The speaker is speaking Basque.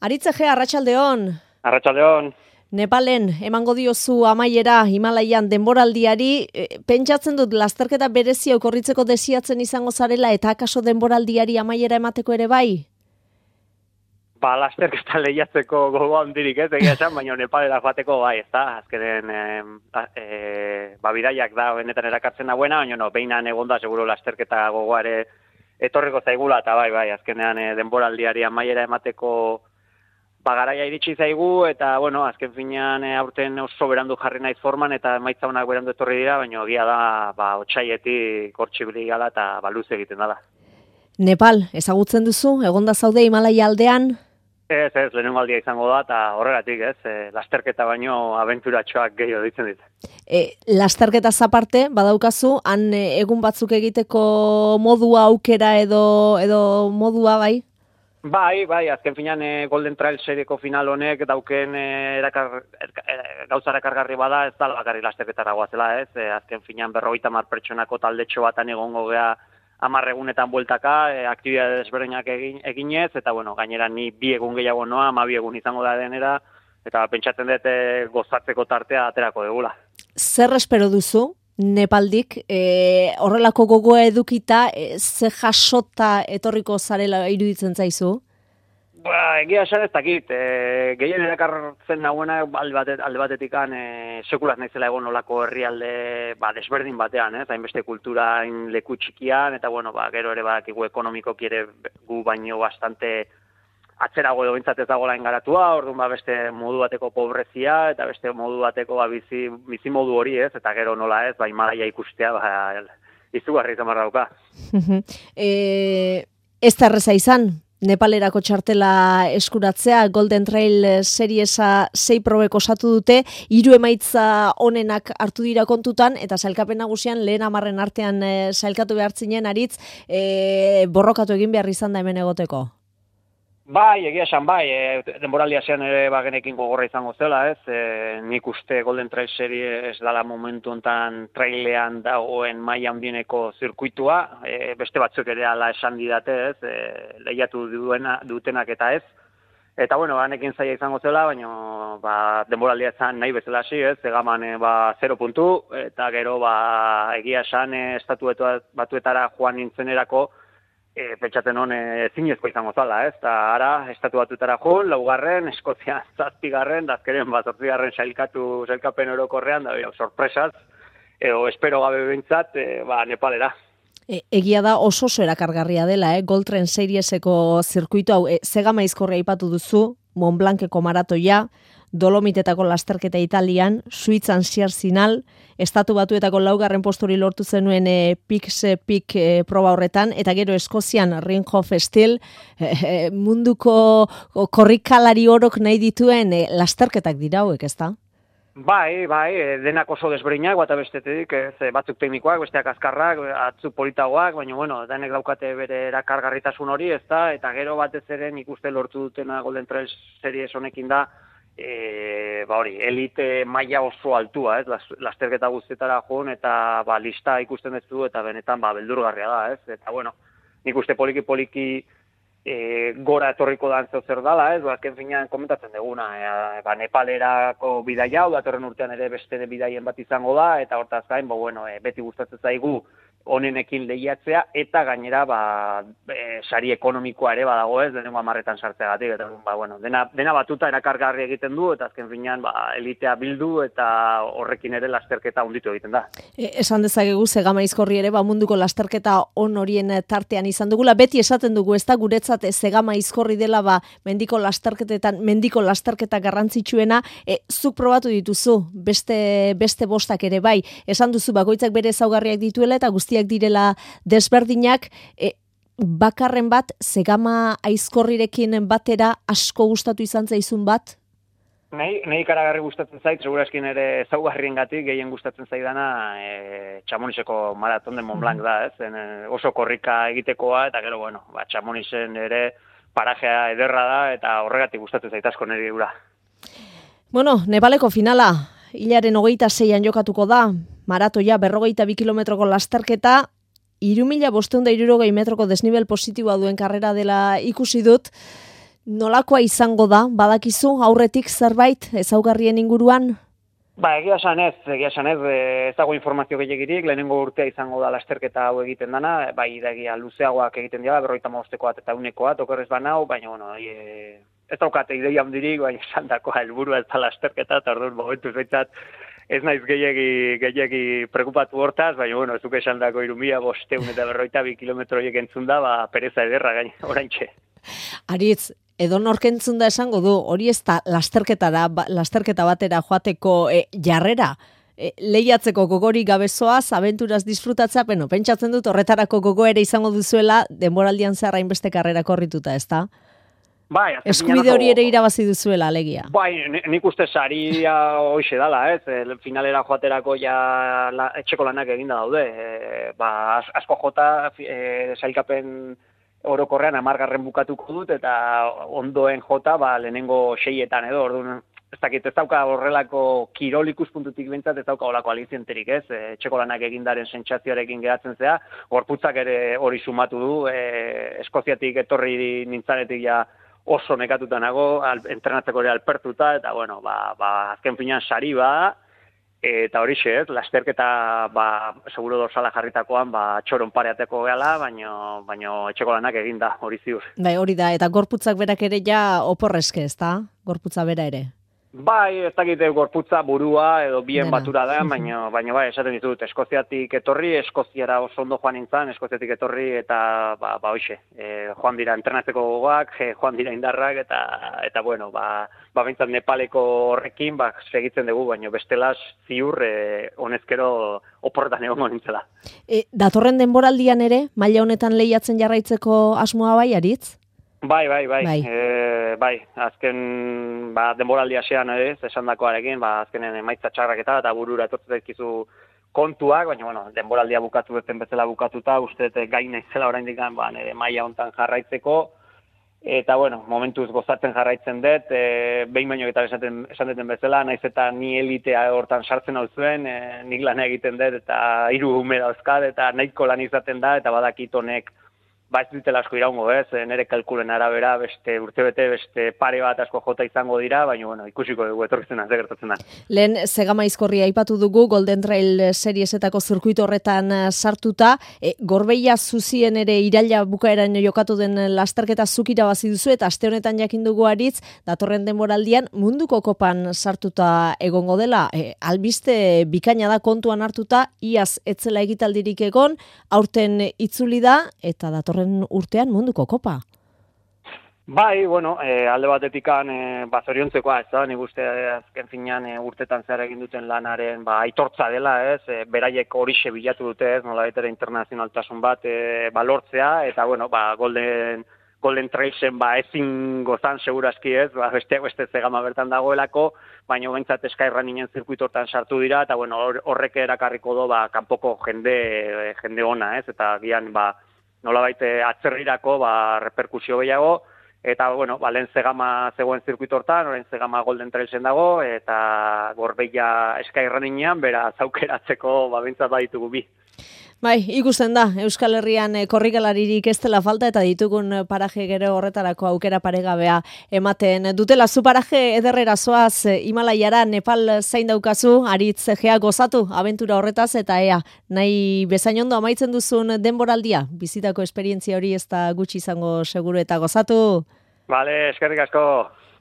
Aritze arratsaldeon. Arratsaldeon. Nepalen emango diozu amaiera Himalaian denboraldiari, pentsatzen dut lasterketa berezia okorritzeko desiatzen izango zarela eta akaso denboraldiari amaiera emateko ere bai? Lasterketa lehiatzeko gogo handirik ez, egia esan, baina Nepalera joateko bai, ezta? Azkenen bidaiak da benetan erakartzen dagoena, baina behinan egonda seguro lasterketa gogoare etorriko zaigula, eta bai, azkenean denboraldiari amaiera emateko garaia iritsi zaigu, eta, azken finean aurten oso berandu jarri naiz forman, eta emaitza honak berandu etorri dira, baina egia da, otsaietik hortxibili gala, eta luze egiten dela. Nepal, ezagutzen duzu, egonda zaude Himalaia aldean? Ez, lehenengo aldia izango da, eta horregatik, lasterketa baino abenturatxoak gehiago ditzen dit. Lasterketa zaparte, badaukazu, han egun batzuk egiteko modua aukera edo modua bai? Bai, azken finean Golden Trail serieko final honek dauken gauza erakargarri bada, ez da bakarrik lasterketara goazela, ez? Azken finean 50 pertsonako taldetxo batan egongo gea 10 egunetan bueltaka, aktibidade desberdinak eginez, eta gainera ni 2 egun gehiago noa, 12 egun izango da denera, eta pentsatzen dut gozatzeko tartea aterako degula. Zer espero duzu? Nepaldik, horrelako gogoa edukita, ze jasota etorriko zarela iruditzen zaizu? Egia esan ez dakit, gehien erakartzen nagoena alde batetikan sekulaz naizela egon olako herrialde desberdin batean, hainbeste kultura leku txikian, eta gero ere badakigu ekonomikoki ere gu baino bastante atzerago edo bintzat ez dagoela engaratua, orduan beste modu bateko pobrezia, eta beste modu bateko bizi modu hori ez, eta gero nola ez, Himalaia ikustea, izugarri izan barra dauka. Ez da erreza izan, Nepalerako txartela eskuratzea, Golden Trail seriesa 6 probek osatu dute, 3 emaitza onenak hartu dira kontutan, eta sailkapen nagusian lehen 10 artean sailkatu behartzinen aritz, borrokatu egin behar izan da hemen egoteko. Bai, egia esan denboraldia zean ere genekin gogorra izango zela, ez? Nik uste Golden Trail serie ez dala momentu hontan trailean dagoen maila handieneko zirkuitua, beste batzuk ere ala esan didate, ez? Lehiatu dutenak eta ez. Eta hanekin zaila izango zela, baina denboraldia zan nahi bezala hasi, ez? Egaman 0 puntu, eta gero egia esan estatu batuetara joan nintzenerako pentsatzen hon zinezko izango zala, ez? Eta ara, estatu batutara joan, 4., Eskozia 7., azkeren 8. sailkapen orokorrean, da sorpresaz, edo espero gabe bintzat, Nepalera. Egia da oso erakargarria dela, Gold Trail serieseko zirkuitu hau, Zegamaizkorria aipatu duzu, Mont Blanceko maratoia, Dolomitetako lasterketa Italian, Suitzan Sierzinal, Estatu Batuetako 4. posturi lortu zenuen Peak proba horretan, eta gero Eskozian Ringhof Steel, munduko korrikalari orok nahi dituen lasterketak dira hauek, ezta? Bai, denak oso desberdinak, bata bestetik, batzuk teknikoak, besteak azkarrak, atzuk politagoak, baina, denek daukate bere erakargarritasun hori, ezta, eta gero batez ere nik uste lortu dutena Golden Trail series honekin da, elite maila oso altua, ez, lasterketa guztietara joan, eta lista ikusten ez du, eta benetan beldurgarria da, ez, eta nik uste poliki gora etorriko da zer dala, ez, azken finean komentatzen duguna, Nepalerako bidaia hau, datorren urtean ere beste bidaien bat izango da, eta hortaz gain, beti gustatzen zaigu onenekin lehiatzea, eta gainera, sari ekonomikoa ere badago ez, denengo 10etan sartzeagatik, eta, dena batuta erakargarri egiten du, eta azken finean, elitea bildu, eta horrekin ere lasterketa hunditu egiten da. Esan dezakegu, Zegamaizkorri ere, munduko lasterketa on horien tartean izan dugula, beti esaten dugu, ez da guretzat Zegamaizkorri dela, mendiko lasterketetan, mendiko lasterketa garrantzitsuena, zuk probatu dituzu, beste bostak ere bai, esan duzu, bakoitzak bere ezaugarriak dituela, eta guztiak direla desberdinak, bakarren bat, Zegamaizkorrirekin batera asko gustatu izan zaizun bat? Nei ikaragarri gustatzen zait, segurazkin ere ezaugarriengatik gehien gustatzen zaidana Chamonixeko maraton de Mont Blanc da, ez? Oso korrika egitekoa, eta gero, Chamonixen ere parajea ederra da, eta horregatik gustatzen zait asko niri gura. Nepaleko finala, hilaren 26an jokatuko da, maratoia 42 kilometroko lasterketa, 3.560 metroko desnibel positiboa duen karrera dela ikusi dut. Nolakoa izango da, badakizu, aurretik zerbait ezaugarrien inguruan? Egia esan ez, ez dago informazio gehiagirik, lehenengo urtea izango da lasterketa hau egiten dana, egia luzeagoak egiten dira, 55 eta 100 okerrez banau, baina, ez daukate ideia handirik, baina esan dakoa helburua ez da lasterketa, eta orduan momentu zaitzat, ez naiz gehiagi preocupatu hortaz, baina, ez duke esan dako 1500 eta 52 kilometroiek entzun da, pereza ederra gain, oraintxe. Aritz, edo norkentzun da esango du, hori ez da lasterketa batera joateko jarrera, lehiatzeko gogorik gabezoaz, abenturaz disfrutatza, pentsatzen dut horretarako gogo ere izango duzuela, denboraldian zehar hainbeste karrera korrituta, ez da? Eskubide hori ere irabazi duzuela, alegia. Nik uste saria hoxe dala, ez? Finalera joaterako etxeko lanak eginda daude. Asko jota sailkapen orokorrean 10. bukatuko dut, eta ondoen jota lehenengo 6etan edo, orduan ez dauka horrelako kirol ikuspuntutik bintzat, ez dauka horrelako alizienterik, ez? Etxeko lanak egindaren sentsazioarekin geratzen zea, gorputzak ere hori sumatu du, Eskoziatik etorri nintzanetik oso nekatuta nago, entrenatzeko ere alpertuta, eta azken finean sari eta horixe, ez, lasterketa seguro dorsala jarritakoan txoron pareateko gehala, baino etxeko lanak eginda, hori ziur. Hori da, eta gorputzak berak ere oporrezke, ez da? Gorputza bera ere. Ez dakite gorputza burua edo bien batura da, baina esaten ditut, Eskoziatik etorri, Eskoziara oso ondo joan nintzen, Eskoziatik etorri eta hoxe, joan dira entrenatzeko gogoak, joan dira indarrak eta bintzat Nepaleko horrekin segitzen dugu, baina bestelaz ziur honezkero oporretan egongo nintzela. Datorren denboraldian ere, maila honetan lehiatzen jarraitzeko asmoa bai, Aritz? Bai. Azken denboraldi hasean esan dakoarekin, azkenen emaitza txarrak eta burura etortzen daizkizu kontuak, baina denboraldia bukatu duten bezala bukatuta, uste gain naizela oraindik nire maila hontan jarraitzeko, eta momentuz gozatzen jarraitzen dut, behin baino eta esan duten bezala, naiz eta ni elitea hortan sartzen hau zuen, nik lan egiten dut, eta 3 ume dauzkat, eta nahiko lan izaten da, eta badakit honek ez ditela asko iraungo, nire kalkulen arabera, beste urtebete, beste pare bat asko jota izango dira, baina, ikusiko dugu etorkitzen ze gertatzen da. Lehen Zegama Aizkorria aipatu dugu, Golden Trail seriesetako zirkuito horretan sartuta, Gorbeia zuzien ere iraila bukaeran jokatu den lasterketa zuk irabazi duzu, eta aste honetan jakin dugu Aritz, datorren denboraldian munduko kopan sartuta egongo dela, albiste bikaina da kontuan hartuta, iaz etzela egitaldirik egon, aurten itzuli da, eta datorren urtean munduko kopa. Alde batetikan zoriontzekoa, ez da, nik uste azken finean urtetan zehar egin duten lanaren aitortza dela, ez, beraiek horixe bilatu dute, ez, nola betera internazionaltasun bat balortzea, eta Golden Trailsen ezin gozan segurazki, ez, beste Zegama bertan dagoelako, baina behintzat Sky Runninen zirkuito hortan sartu dira, eta horrek erakarriko do kanpoko jende ona, ez, eta gian nolabait atzerrirako reperkusio gehiago, eta lehen Zegama zegoen zirkuito hortan, orain Zegama Golden Trailsen dago, eta Gorbeia Sky Runningen bera zaukeratzeko behintzat baditugu bi. Ikusten da, Euskal Herrian korrikalaririk ez dela falta eta ditugun paraje gero horretarako aukera paregabea ematen dutela. Zu paraje ederrera zoaz Himalaiara, Nepal zain daukazu, Aritz Egea gozatu abentura horretaz, eta nahi bezain ondo amaitzen duzun denboraldia, bizitako esperientzia hori ez da gutxi izango seguru, eta gozatu. Eskerrik asko.